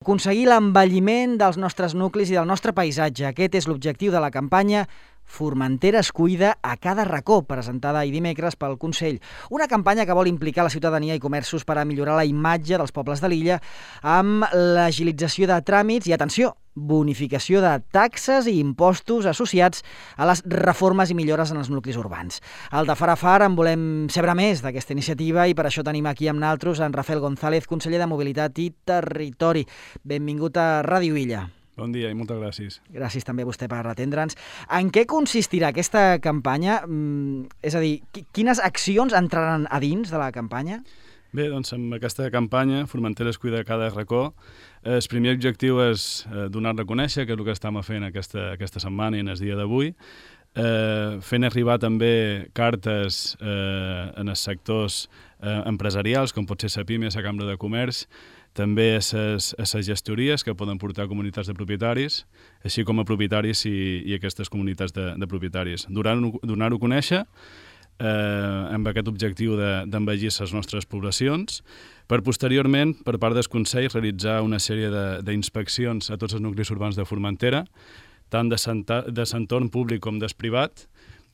Aconseguir l'envelliment dels nostres nuclis i del nostre paisatge. Aquest és l'objectiu de la campanya Formentera es cuida a cada racó, presentada ahir dimecres pel Consell. Una campanya que vol implicar la ciutadania i comerços per a millorar la imatge dels pobles de l'illa amb l'agilització de tràmits i, atenció, bonificació de taxes i impostos associats a les reformes i millores en els nuclis urbans. Al de Far a Far en volem saber més d'aquesta iniciativa i per això tenim aquí amb naltros en Rafael González, conseller de Mobilitat i Territori. Benvingut a Ràdio Illa. Bon dia i moltes gràcies. Gràcies també a vostè per atendre'ns. En què consistirà aquesta campanya? És a dir, quines accions entraran a dins de la campanya? Bé, doncs amb aquesta campanya, Formentera es cuida a cada racó, el primer objectiu és donar-la a conèixer, que és el que estem fent aquesta setmana i en el dia d'avui, fent arribar també cartes en els sectors empresarials, com pot ser la PIME, la Cambra de Comerç, també a les gestories que poden portar comunitats de propietaris, així com a propietaris i aquestes comunitats de propietaris. Donar-ho a conèixer amb aquest objectiu d'envellir les nostres poblacions, per posteriorment, per part del Consell, realitzar una sèrie d'inspeccions a tots els nuclis urbans de Formentera, tant de l'entorn públic com del privat,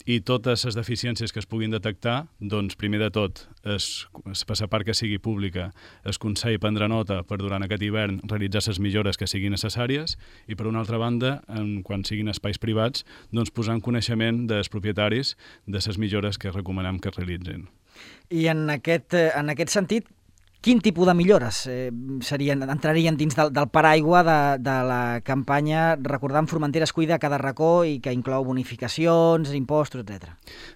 i totes les deficiències que es puguin detectar, doncs, primer de tot, per la part que sigui pública, el Consell prendrà nota per durant aquest hivern realitzar les millores que siguin necessàries i, per una altra banda, quan siguin espais privats, doncs, posar en coneixement dels propietaris de les millores que recomanem que realitzin. I en aquest sentit, quin tipus de millores entrarien dins del paraigua de la campanya Recordant Formentera es cuida a cada racó i que inclou bonificacions, impostos, etc.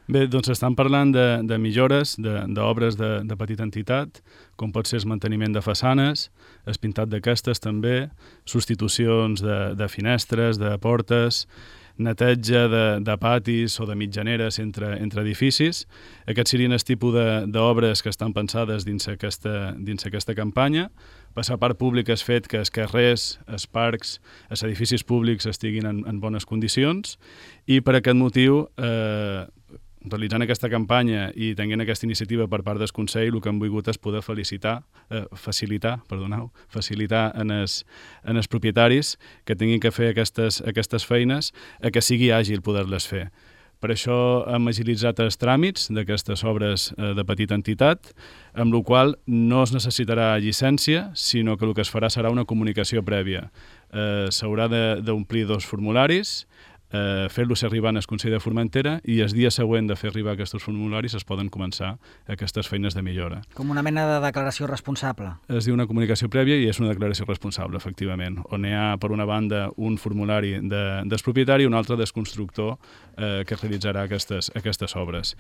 Bé, doncs estan parlant de millores, d'obres de petita entitat, com pot ser el manteniment de façanes, el pintat d'aquestes també, substitucions de finestres, de portes, neteja de patis o de mitjaneres entre edificis. Aquests serien el tipus d'obres que estan pensades dins aquesta campanya. Per la part pública és fet que els carrers, els parcs, els edificis públics estiguin en bones condicions i per aquest motiu, realitzant aquesta campanya i tenint aquesta iniciativa per part del Consell, el que hem volgut és poder facilitar en els propietaris que tinguin que fer aquestes feines a que sigui àgil poder-les fer. Per això hem agilitzat els tràmits d'aquestes obres de petita entitat, amb la qual no es necessitarà llicència, sinó que el que es farà serà una comunicació prèvia. S'haurà d'omplir 2 formularis, fer-los arribar al Consell de Formentera i el dia següent de fer arribar aquests formularis es poden començar aquestes feines de millora. Com una mena de declaració responsable. Es diu una comunicació prèvia i és una declaració responsable, efectivament, on hi ha, per una banda, un formulari del propietari i un altre del constructor que realitzarà aquestes obres.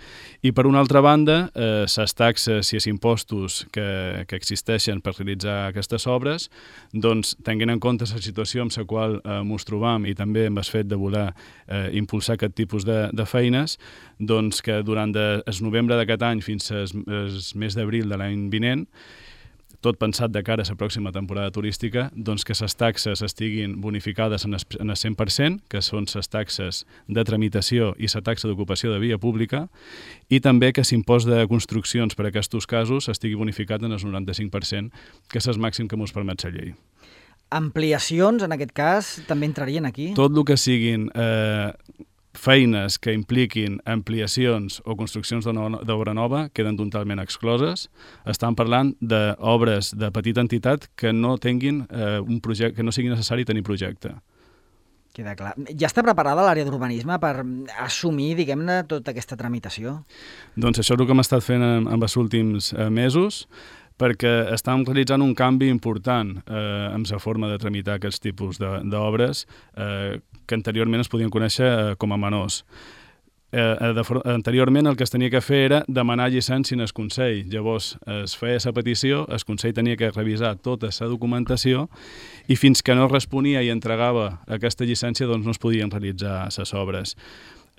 I, per una altra banda, les taxes i els impostos que existeixen per realitzar aquestes obres, doncs, tenint en compte la situació amb la qual ens trobam i també amb el fet de voler impulsar aquest tipus de feines, doncs que durant el novembre d'aquest any fins al mes d'abril de l'any vinent, tot pensat de cara a la pròxima temporada turística, doncs que les taxes estiguin bonificades en el 100%, que són les taxes de tramitació i la taxa d'ocupació de via pública, i també que l'impost de construccions per a aquests casos estigui bonificat en el 95%, que és el màxim que ens permet la llei. Ampliacions, en aquest cas, també entrarien aquí? Tot el que siguin feines que impliquin ampliacions o construccions d'obra nova queden totalment excloses. Estan parlant d'obres de petita entitat que no tinguin un projecte, que no sigui necessari tenir projecte. Queda clar. Ja està preparada l'àrea d'urbanisme per assumir, diguem-ne, tota aquesta tramitació? Doncs això és el que hem estat fent en els últims mesos, perquè estem realitzant un canvi important en la forma de tramitar aquests tipus d'obres que anteriorment es podien conèixer com a menors. Anteriorment el que es tenia que fer era demanar llicència en el Consell. Llavors es feia la petició, el Consell tenia que revisar tota la documentació i fins que no responia i entregava aquesta llicència doncs no es podien realitzar les obres.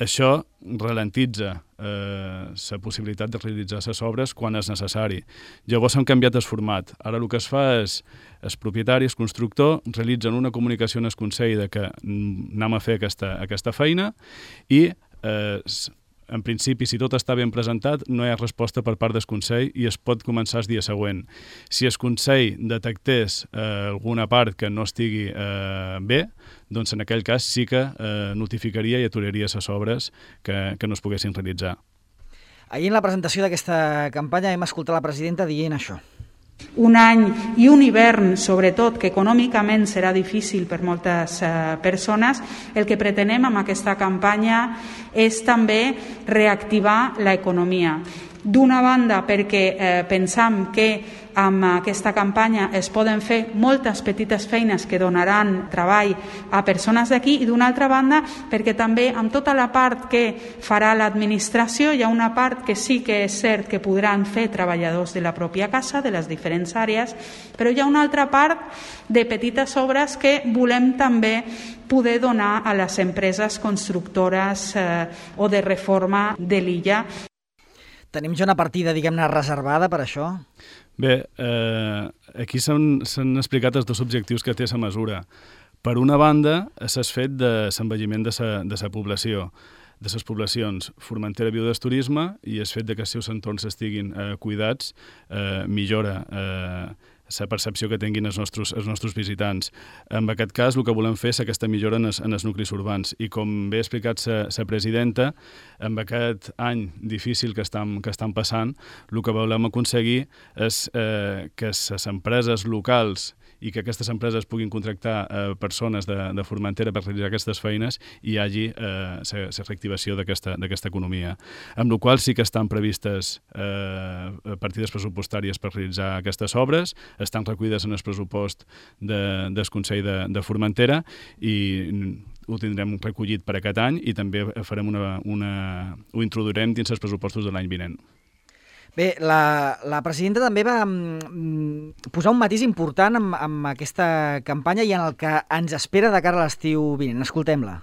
Això ralentitza la possibilitat de realitzar les obres quan és necessari. Llavors hem canviat el format. Ara el que es fa és els propietaris, constructor, realitzen una comunicació en el Consell de que anem a fer aquesta feina i en principi, si tot està ben presentat, no hi ha resposta per part del Consell i es pot començar el dia següent. Si el Consell detectés alguna part que no estigui bé, doncs en aquell cas sí que notificaria i aturaria les obres que no es poguessin realitzar. Ahir en la presentació d'aquesta campanya hem escoltat la presidenta dient això. Un any i un hivern, sobretot, que econòmicament serà difícil per moltes persones, el que pretenem amb aquesta campanya és també reactivar l'economia. D'una banda, perquè pensam que amb aquesta campanya es poden fer moltes petites feines que donaran treball a persones d'aquí i d'una altra banda perquè també amb tota la part que farà l'administració hi ha una part que sí que és cert que podran fer treballadors de la pròpia casa, de les diferents àrees, però hi ha una altra part de petites obres que volem també poder donar a les empreses constructores o de reforma de l'illa. Tenim ja una partida, diguem-ne, reservada per això? Bé, aquí s'han explicat els dos objectius que té la mesura. Per una banda, s'ha fet de l'envelliment de la població, de les poblacions. Formentera viu del turisme i el fet que els seus entorns estiguin cuidats millora la percepció que tinguin els nostres visitants. En aquest cas, el que volem fer és aquesta millora en els nuclis urbans. I com bé ha explicat la presidenta, amb aquest any difícil que estan passant, el que volem aconseguir és que les empreses locals i que aquestes empreses puguin contractar persones de Formentera per realitzar aquestes feines i hi hagi la reactivació d'aquesta economia. Amb la qual sí que estan previstes partides pressupostàries per realitzar aquestes obres, estan recollides en el pressupost del Consell de Formentera i ho tindrem recollit per aquest any i també farem ho introduirem dins els pressupostos de l'any vinent. Bé, la presidenta també va posar un matís important amb aquesta campanya i en el que ens espera de cara a l'estiu vinent. Escoltem-la.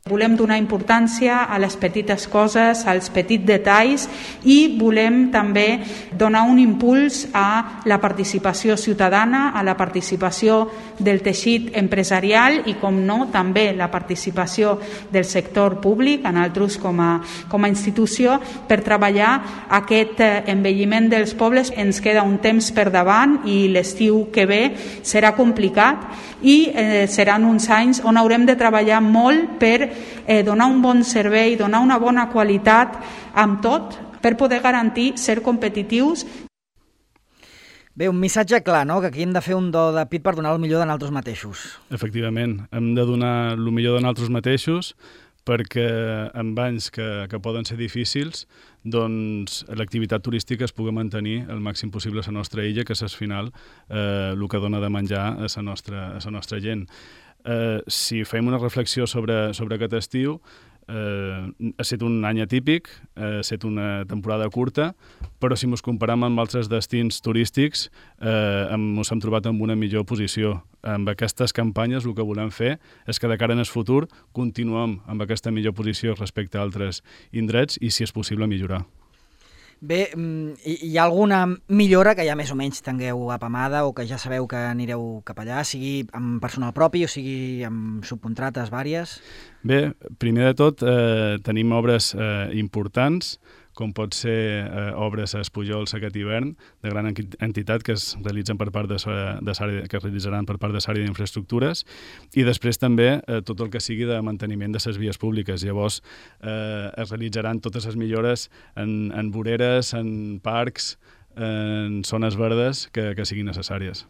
Volem donar importància a les petites coses, als petits detalls i volem també donar un impuls a la participació ciutadana, a la participació del teixit empresarial i, com no, també la participació del sector públic, en altres com a institució, per treballar aquest envelliment dels pobles. Ens queda un temps per davant i l'estiu que ve serà complicat i seran uns anys on haurem de treballar molt per donar un bon servei, donar una bona qualitat amb tot per poder garantir ser competitius. Bé, un missatge clar, no?, que aquí hem de fer un do de pit per donar el millor de nosaltres mateixos. Efectivament, hem de donar el millor de nosaltres mateixos perquè en anys que poden ser difícils, doncs l'activitat turística es pugui mantenir el màxim possible a la nostra illa, que és al final el que dona de menjar a la nostra gent. Si fem una reflexió sobre aquest estiu, ha estat un any atípic, ha estat una temporada curta, però si ens comparem amb altres destins turístics ens hem trobat en una millor posició. Amb aquestes campanyes el que volem fer és que de cara en el futur continuem amb aquesta millor posició respecte a altres indrets i, si és possible, millorar. Bé, hi ha alguna millora que ja més o menys tingueu apamada o que ja sabeu que anireu cap allà, sigui amb personal propi o sigui amb subcontrates vàries? Bé, primer de tot tenim obres importants, com pot ser obres a Espujols aquest hivern, de gran entitat que es realitzen per part que es realitzaran per part de l'àrea d'infraestructures, i després també tot el que sigui de manteniment de les vies públiques. Llavors es realitzaran totes les millores en voreres, en parcs, en zones verdes que siguin necessàries.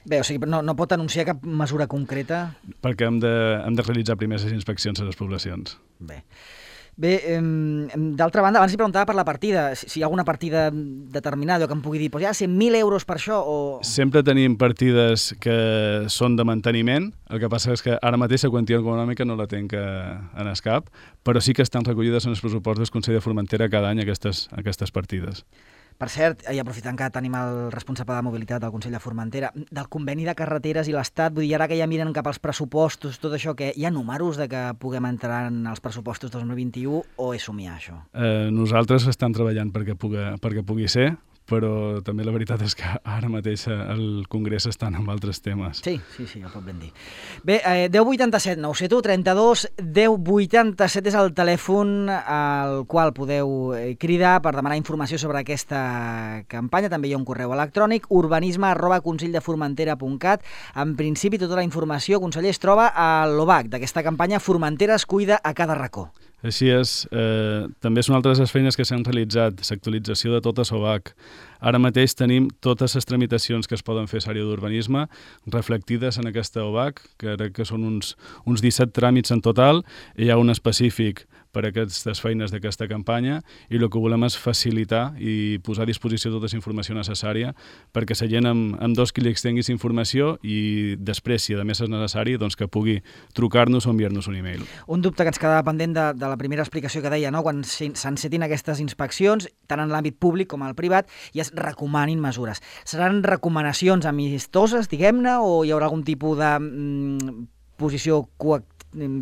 Bé, o sigui, no pot anunciar cap mesura concreta? Perquè hem de realitzar primer les inspeccions a les poblacions. Bé, d'altra banda, abans li preguntava per la partida, si hi ha alguna partida determinada que em pugui dir, doncs ja 100.000 euros per això o... Sempre tenim partides que són de manteniment, el que passa és que ara mateix la quantia econòmica no la tenc en el cap, però sí que estan recollides en els pressupostos del Consell de Formentera cada any aquestes partides. Per cert, i aprofitant que tenim el responsable de mobilitat del Consell de Formentera, del conveni de carreteres i l'Estat, vull dir, ara que ja miren cap als pressupostos, tot això, que hi ha números de que puguem entrar en els pressupostos 2021 o és somiar això? Nosaltres estem treballant perquè pugui ser, però també la veritat és que ara mateix el Congrés estan amb altres temes. Sí, ja ho pot ben dir. Bé, 1087 971 32 1087 és el telèfon al qual podeu cridar per demanar informació sobre aquesta campanya. També hi ha un correu electrònic, urbanisme@conselldefurmentera.cat. En principi, tota la informació, conseller, es troba a l'OBAC d'aquesta campanya Formentera es cuida a cada racó. Així és. També són altres les feines que s'han realitzat, l'actualització de tota SOBAC. Ara mateix tenim totes les tramitacions que es poden fer a l'àrea d'urbanisme reflectides en aquesta OBAC, que crec que són uns 17 tràmits en total, i hi ha un específic per a aquestes feines d'aquesta campanya, i el que volem és facilitar i posar a disposició tota la informació necessària perquè la gent amb 2 clics tinguis informació i després, si a més és necessari, doncs que pugui trucar-nos o enviar-nos un e-mail. Un dubte que ens quedava pendent de la primera explicació que deia, no? Quan s'encetin aquestes inspeccions, tant en l'àmbit públic com al privat, i es recomanin mesures. Seran recomanacions amistoses, diguem-ne, o hi haurà algun tipus de posició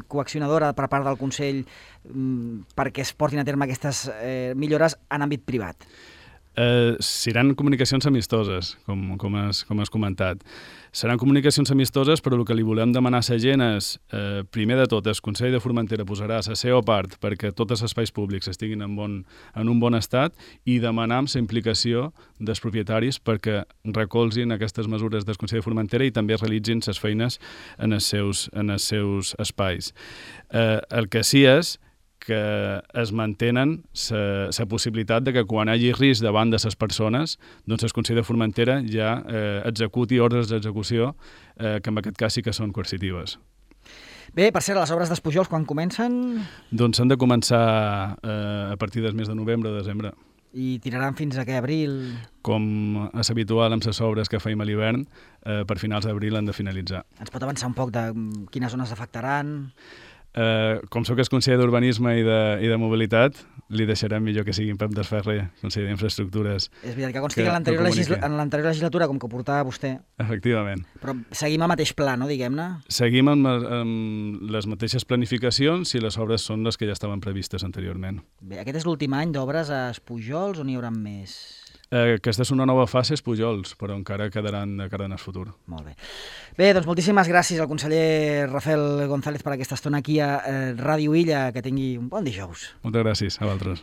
coaccionadora per part del Consell perquè es portin a terme aquestes millores en àmbit privat? Seran comunicacions amistoses, com has comentat. Seran comunicacions amistoses, però el que li volem demanar a la gent és, primer de tot, el Consell de Formentera posarà la seva part perquè tots els espais públics estiguin en un bon estat, i demanar la implicació dels propietaris perquè recolzin aquestes mesures del Consell de Formentera i també realitzin les feines en els seus espais. El que sí és que es mantenen la possibilitat de que quan hi hagi risc davant de les persones, doncs el Consell de Formentera ja executi ordres d'execució que en aquest cas sí que són coercitives. Bé, per cert, les obres dels Pujols quan comencen? Doncs han de començar a partir del mes de novembre o desembre. I tiraran fins a què, abril? Com és habitual amb les obres que feim a l'hivern, per finals d'abril han de finalitzar. Ens pot avançar un poc de quines zones afectaran? Com sóc el conseller d'Urbanisme i de Mobilitat, li deixarem millor que sigui en Pep Desferrer, conseller d'Infraestructures. És veritat que consti que en l'anterior legislatura, com que ho portava vostè. Efectivament. Però seguim al mateix pla, no, diguem-ne? Seguim amb les mateixes planificacions i les obres són les que ja estaven previstes anteriorment. Bé, aquest és l'últim any d'obres a Pujols o n'hi haurà més? Aquesta és una nova fase, és Pujols, però encara quedaran de cara en el futur. Molt bé. Bé, doncs moltíssimes gràcies al conseller Rafael González per aquesta estona aquí a Ràdio Illa. Que tingui un bon dijous. Moltes gràcies a vosaltres.